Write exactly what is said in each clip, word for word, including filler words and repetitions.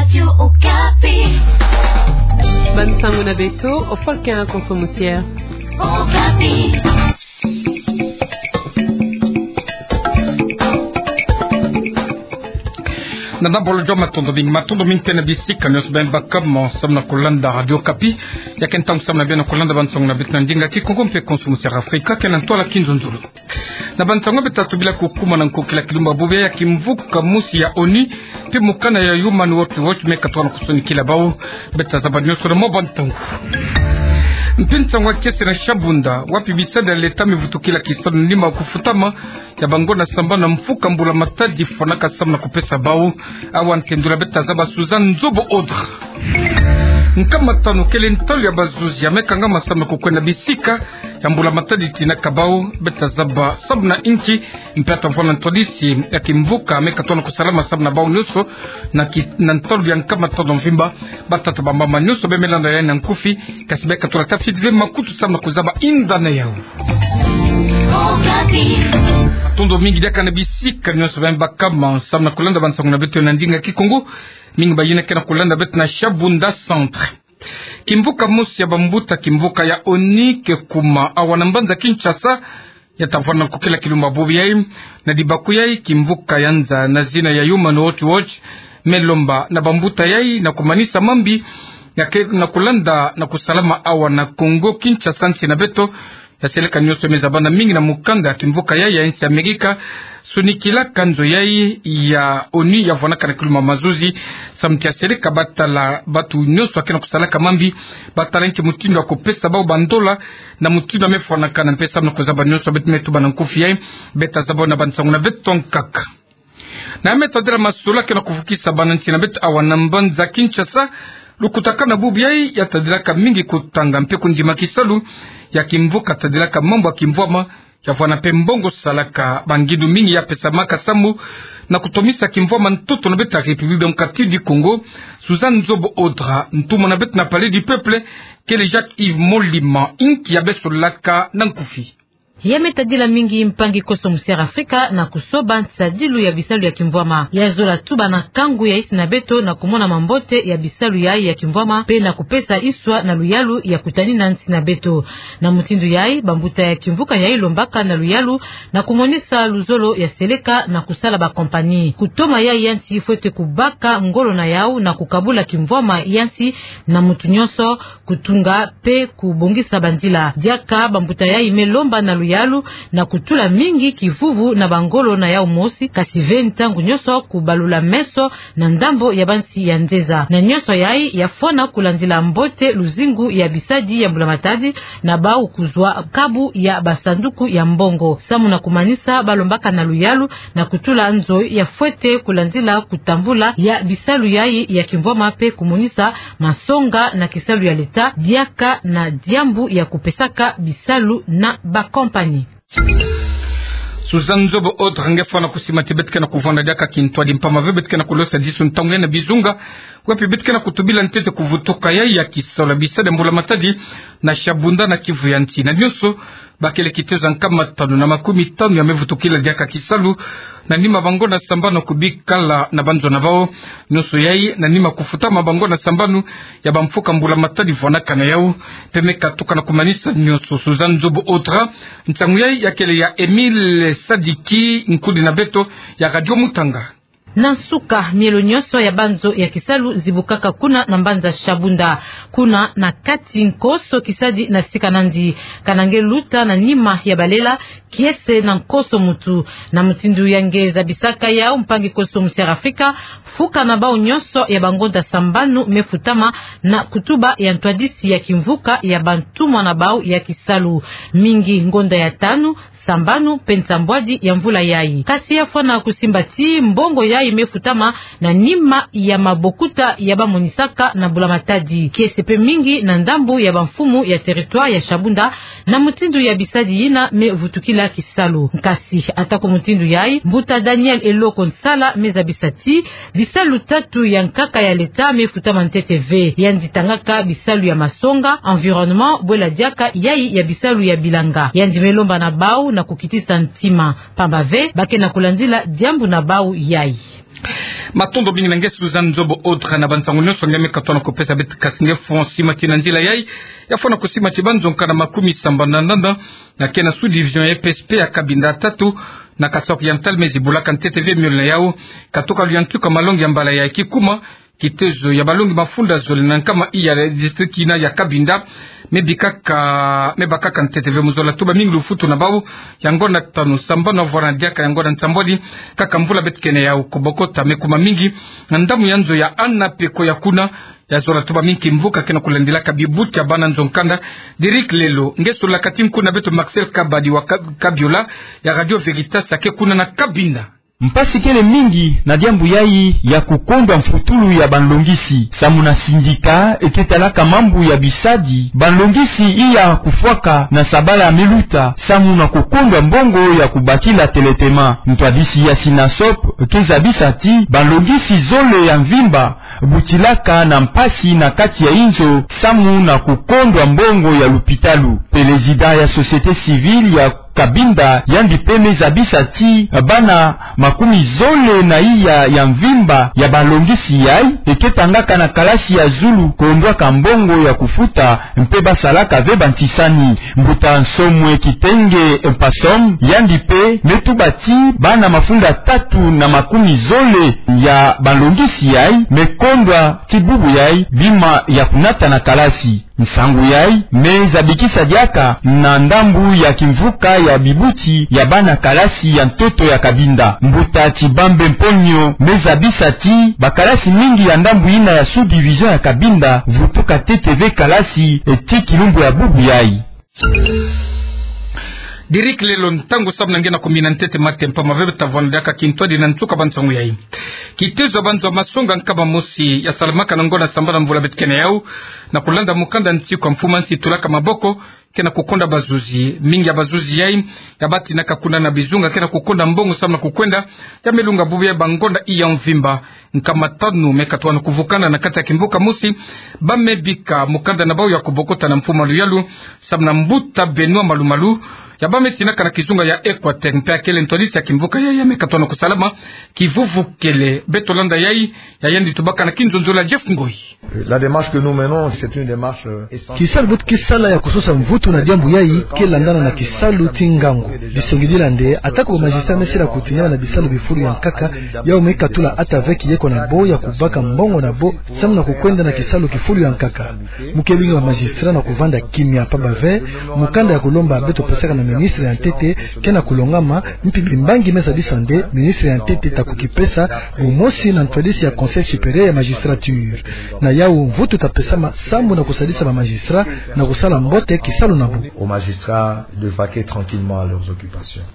Radio Okapi. Bansango na beto, ofolke a konso musier. Okapi. Na nabolo jour, matondo mingi, matondo mingi mpe na bisika nyonso beno baka mo samu na kolanda Radio Okapi. Ya ke ntangu samu na beno kolanda bansango na beto na ndinga Kikongo mpe konso musier Afrika, ke na ntwala Kinzonzolo. Na bansango beto tobila kokumuna na nkokila kilumbu bubu ya kimvuka mosi ya ONU, mpe mokana ya Human Rights Watch me katuka na kusonikila bawu, beto tazaba nyonso na mwa bantangu. Mpe nsango ya kiese na Shabunda, wapi bisadi ya leta mevutukila kisalu na nima kufutama ya bangonda sambanu na mfuka mbula matadi fwanaka samu na kupesa bawu. Awa ntendula, beto tazaba Suzanne Nzobo Audra. Nkama tanu kele ntalu ya bazuzi ya mekangama samu na kukwenda bisika ya mbula matadi tinaka bawu, beto tazaba samu na inki, mpe ata mfwana ntwadisi ya kimvuka me katuka na kusalama samu na bawu nyonso na ki-, na ntalu ya nkama tanu mvimba. Batata, bamama, nyonso beno me landa yayi na nkufi, kasi beno katula tafiti ve makutu samu na kuzaba inda na yawu. Matondo mingi diaka na bisika nyonso beno baka mo samu na kolanda bansango na beto na ndinga Kikongo. Mingi bayina ke na kolanda beto na Shabunda Centre. Kimvuka mosi ya bambuta kimvuka ya ONU ke kuma awa na mbanza Kinshasa, ya ta vwanda nkokila kilumbu bubu yayi. Na dibaku yayi, kimvuka ya nza na zina ya Human Rights Watch me lomba na bambuta yayi na kumanisa mambi ya ke na kolanda na kusalama awa na Kongo Kinshasa, nsi na beto. Ya seleka nyonso me zabana mingi na mukanda ya kimvuka yayi ya nsi Amerika, sonikilaka nzo yayi ya ONU ya vwanaka na kilumbu mazuzi. Samu ti ya seleka batala bantu nyonso ya ke na kusalaka mambi, batala nki mutindu ya kupesa bawu bandola, na mutindu ya me fwanakana, mpe samu na kuzaba nyonso beto me tuba na nkufi yayi, beto tazaba na bansango na beto nkaka. Na ya me tadila masolo ya ke na kuvukisa bana nsi na beto awa na mbanza Kinshasa, lukutakanu bubu yayi ya tadilaka mingi kutanga mpe kundima kisalu ya kimvuka tadilaka mambu ya kimvwama, ya vwanda mpe mbongo salaka bangindu mingi ya pesamaka samu na kutomisa kimvwama ntoto na beto ya République Démocratique du Congo. Suzanne Nzobo Audra, ntumwa na beto na Palais du Peuple, kele Jacques Yves Molima, inki ya besolaka na nkufi. Ya me tadila mingi mpangi konso musier Afrika na kusoba nsadilu ya bisalu ya kimvwama. Ya zola tuba na kangu ya nsi na beto na kumona mambote ya bisalu yayi ya kimvwama, mpe na kupesa nswa na luyalu ya kutanina nsi na beto. Na mutindu yayi, bambuta ya kimvuka yayi lombaka na luyalu na kumonisa luzolo ya seleka na kusala bakompani. Kutoma yayi ya nsi fwete kubaka ngolo na yawu na kukabula kimvwama ya nsi na muntu nyonso, kutunga mpe kubongisa banzila. Diaka bambuta yayi me lomba na luyalu na kutula mingi kivuvu na bangolo na yawu mosi, kasi ve ntangu nyonso kubalula meso na ndambo ya bansi ya nzeza. Na nyonso yayi ya fwana kulandila mbote luzingu ya bisadi ya mbula matadi, na bawu kuzwa kabu ya basanduku ya mbongo. Samu na kumanisa, balombaka na luyalu na kutula nzo ya fwete kulandila kutambula ya bisalu yayi ya kimvwama mpe kumonisa masonga na kisalu ya leta diaka na diambu ya kupesaka bisalu na bakompani. Suzanne Nzobo Audra, nge fwana kusima ti beto ke na kuvwanda diaka kintwadi mpamba ve beto ke na kulosadisu ntangu yayi na bizunga. Wapi beto ke na kutubila ntete kuvutuka yayi ya kisalu ya bisadi ya mbula matadi na Shabunda na Kivu ya nti. Na nyonso, bakele kitezo ya nkama tanu na makumi tanu ya mevutukila diaka kisalu na nima bangonda sambanu kubikala na banzo na bawu. Nyonso yayi na nima kufutama bangonda sambanu ya bamfuka mbula matadi vwanaka na yawu, mpe me katuka na kumanisa nyonso. Suzanne Nzobo Audra, nsangu yayi ya kele ya Emile Sadiki, nkudi na beto ya Radio Mutanga. Na nsuka, mielo nyonso ya banzo ya kisalu zibukaka kuna na mbanza Shabunda. Kuna na kati nkoso kisadi na sika nandi. Kana nge luta na nima ya balela, kiese na nkoso mutu. Na mutindu ya nge zabisaka yawu, mpangi konso musier Afrika, mfuka na bawu nyonso ya bangonda sambanu mefutama na kutuba ya ntwadisi ya kimvuka ya bantumwa na bawu ya kisalu. Mingi ngonda ya tanu, sambanu mpe nsambwadi ya mvula yayi. Kasi ya fwana kusimba ti mbongo yayi mefutama na nima ya mabokuta ya bamonisaka na mbula matadi. Kiese mpe mingi na ndambu ya bamfumu ya territoire ya Shabunda, na mutindu ya bisadi yina mevutukila kisalu. Nkasi, ata ko mutindu yayi, mbuta Daniel Eloko Nsala mezabisa ti bisalu tatu ya nkaka ya leta mefutama ntete ve. Yandi tangaka bisalu ya masonga, environnement, bwela diaka yayi ya bisalu ya bilanga. Yandi melomba na bawu na kukitisa ntima, pamba ve ba ke na kulandila diambu na bau yai. Matondo mingi na nge Suzanne Nzobo Audra na bansangu nyonso nge me katoa na kupesa beto. Kasi nge fonsi mati na nzila yai, ya fwana kusimati banzo nkanda makumi sambanu na ndanda, na ke na sous-division ya E P S P ya Cabinda tatu, na Kasaï Oriental, me zibulaka ntete ve miole na yau, katoka luyantuka malongi ya mbala yai. Kikuma, kitezo ya balongi mafunda zole na nkama iya district ina ya Cabinda, me bikaka, me bakaka ntete ve mu zola tuba mingi lufutu na bau, ya ngonda tanu sambanu vwara na diaka ya ngonda nsambwadi, kaka mvula beto ke na yau. Kobokota me kuma mingi na ndamu ya nzo ya Ana Peko ya kuna, ya zola tuba mingi kimvuka ke na kulandilaka bibuti ya bana nzo nkanda. Derick Lelo, nge solaka ti nkunga beto Marcel Kabadi wa Ka-, Kabiola ya Radio Veritas, ya ke kuna na Cabinda. Mpasi kele mingi na diambu yai ya kukondwa mfutulu ya banlongisi. Samu na syndicat ke talaka mambu ya bisadi, banlongisi iya kufwaka na sabala ya meluta, samu na kukondwa mbongo ya kubakila teletema. Ntwadisi ya Synasop ke zabisa ti banlongisi zole ya mvimba butilaka na mpasi na kati ya inzo, samu na kukondwa mbongo ya lupitalu. Pelezida ya société civile ya Cabinda, yandi pe me zabisa ti bana makumi zole na iya ya mvimba ya balongisi yai, e ke tangaka na kalasi ya zulu, kondwaka mbongo ya kufuta, mpe ba salaka ve bantisani. Mbuta Nsomwe Kitenge Mpasom, yandi pe me tuba ti bana mafunda tatu na makumi zole ya balongisi yai me kondwa ti bubu yai bima ya kunata na kalasi. Nsangu yai me zabikisa diaka na ndambu ya kimvuka ya bibuti ya bana kalasi ya ntoto ya Cabinda. Mbuta Tshibambe Mponyo me zabisa ti bakalasi mingi ya ndambu ina ya sous-division ya Cabinda vutuka ntete ve kalasi, e, ti kilumbu ya bubu yai. Derick Lelo, ntangu samu na nge na kumina ntete matempa ma ve beto ta vwanda diaka kintwadi na nsuka bansangu yai. Kitezo ya banzo ya masonga nkama mosi ya salamaka na ngonda sambanu mvula beto ke na yau, na kulanda mukanda nsiku ya mfumu nsi tulaka maboko, ke na kukonda bazuzi. Mingi ya bazuzi yai ya batinaka kuna na bizunga ke na kukonda mbongo samu na kukwenda, ya me lunga bubu yai ba ngonda iya mvimba. Nkama tanu me katoa na kuvukana na kati ya kimvuka mosi, ba me bika mukanda na bau ya kubokota na mfumu Luyalu, samu na mbuta Benoît Malumalu, ya ba me tinaka na kizunga ya Equateur, mpe akele ntwadisi ya kimvuka yai ya me katoa na kusalama kivuvukele. Beto landa yai, ya yandi tubaka na kinzonzolo ya Jeff Ngoi. La démarche que nous menons, c'est une démarche, euh, essentielle. Kisalu beto ke sala ya kusosa mvutu na diambu yai ke landana na kisalu ti ngangu. Disongidila nde, atako ba magistrat me sila kutinama na bisalu bifulu ya nkaka, yau me katula ata ve kiyeko na bo ya kubaka mbongo na bo, samu na kukwenda na kisalu kifulu ya nkaka. Mu ke bingi ba magistrat na kuvanda kimia, pamba ve mukanda ya kulomba beto pesaka na ministre ya ntete ke na kulongama, mpi bimbangi me zabisa nde ministre ya ntete ta kukipesa, bumosi na ntwadisi ya Conseil supérieur ya magistrature. Na yau mvutu ta pesama samu na kusalisa ba magistrat na kusala mbote kisalu na bo. Aux magistrats de vaquer tranquillement à leurs occupations.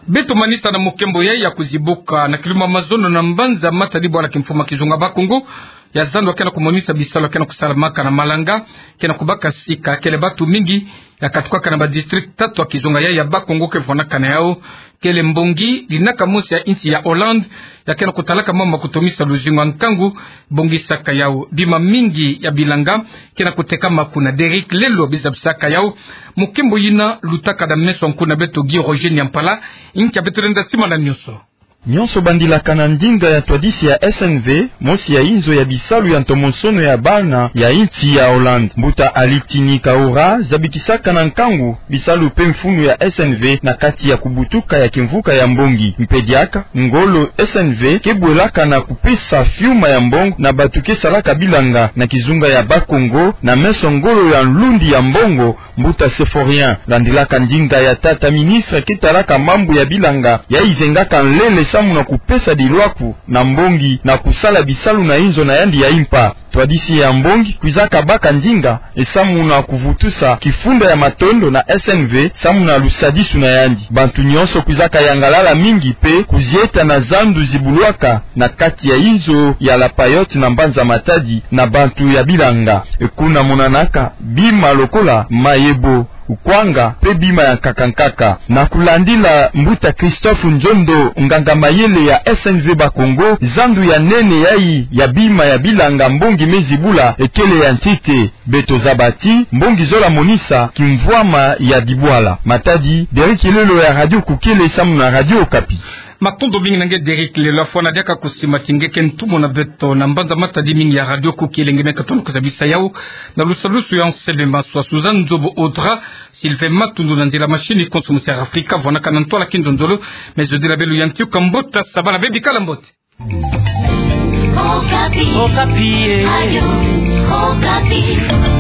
Beto manisa na mukembo yai ya kuzibuka na kilumbu ya mazono na mbanza Matadi, bwala kimfumu ya kizunga Bas-Congo, ya zandu ke na kumonisa bisalu ke na kusalamaka na Malanga, ke na kubaka sika. Kele bantu mingi ya katukaka na ba district tatu ya kizunga yai ya Bas-Congo ke vwanaka na yau. Kele mbongi linaka mosi ya insi ya Hollande, ya ke na kutalaka mambu ma kutomisa luzingu ya nkangu, bongisaka yau. Bima mingi ya bilanga ke na kutekama kuna. Derick Lelo bizabisaka yau. Mukembo yina lutaka na meso ya nkuna beto Guy Roger Niampala, inki ya beto lenda simana nyonso. Nyonso bandilaka na ndinga ya ntwadisi ya S N V, mosi ya inzo ya bisalu ya ntomosono ya bana ya insi ya Hollande. Mbuta Alitini Kaura zabikisaka na nkangu bisalu mpe mfunu ya S N V na kati ya kubutuka ya kimvuka ya mbongi. Mpe diaka ngolo S N V ke bwelaka na kupesa fiuma ya mbongo na bantu ke salaka bilanga na kizunga ya Bas-Congo, na meso ngolo ya nlundi ya mbongo, mbuta Symphorien. Landilaka ndinga ya tata ministre ke talaka mambu ya bilanga, yai zengaka nlele samu na kupesa dilwaku na mbongi na kusala bisalu na inzo na yandi ya impa. Ntwadisi ya mbongi kwizaka baka ndinga, e, samu na kuvutusa kifunda ya matondo na S N V samu na lusadisu na yandi. Bantu nyonso kwizaka yangalala mingi mpe kuzieta na zandu zibulwaka na kati ya inzo ya La Paillote na mbanza Matadi na bantu ya bilanga. E, kuna monanaka bima lokola mayebo. kwanga mpe bima ya nkaka nkaka. Na kulandila Mbuta Christophe Nzondo, nganga mayele ya S N V Bakongo, zandu ya nene yayi ya bima ya bilanga mbongi me zibula ekele ya ntete. Beto zaba ti mbongi zola monisa kimvwama ya dibwala. Matadi, Derrick Lelo ya Radio Kukele samu na Radio Okapi. Matondo mingi na nge Derrick Lelo, afwana diaka kusima ti nge ke ntumwa na beto na mbanza matadi mingi ya Radio Kukele. Nge me katono kuzabisa yau na lusalusu ya Anselme Maswa, Suzanne Nzobo Audra, Sylvain Matundu na nzila machine, konso Musi Afrika vwanaka na ntwala kinzonzolo. Me zodila belu ya ntiuka mbote, sabala be bikala mbote. Okapi. Okapi, eh. Radio Okapi.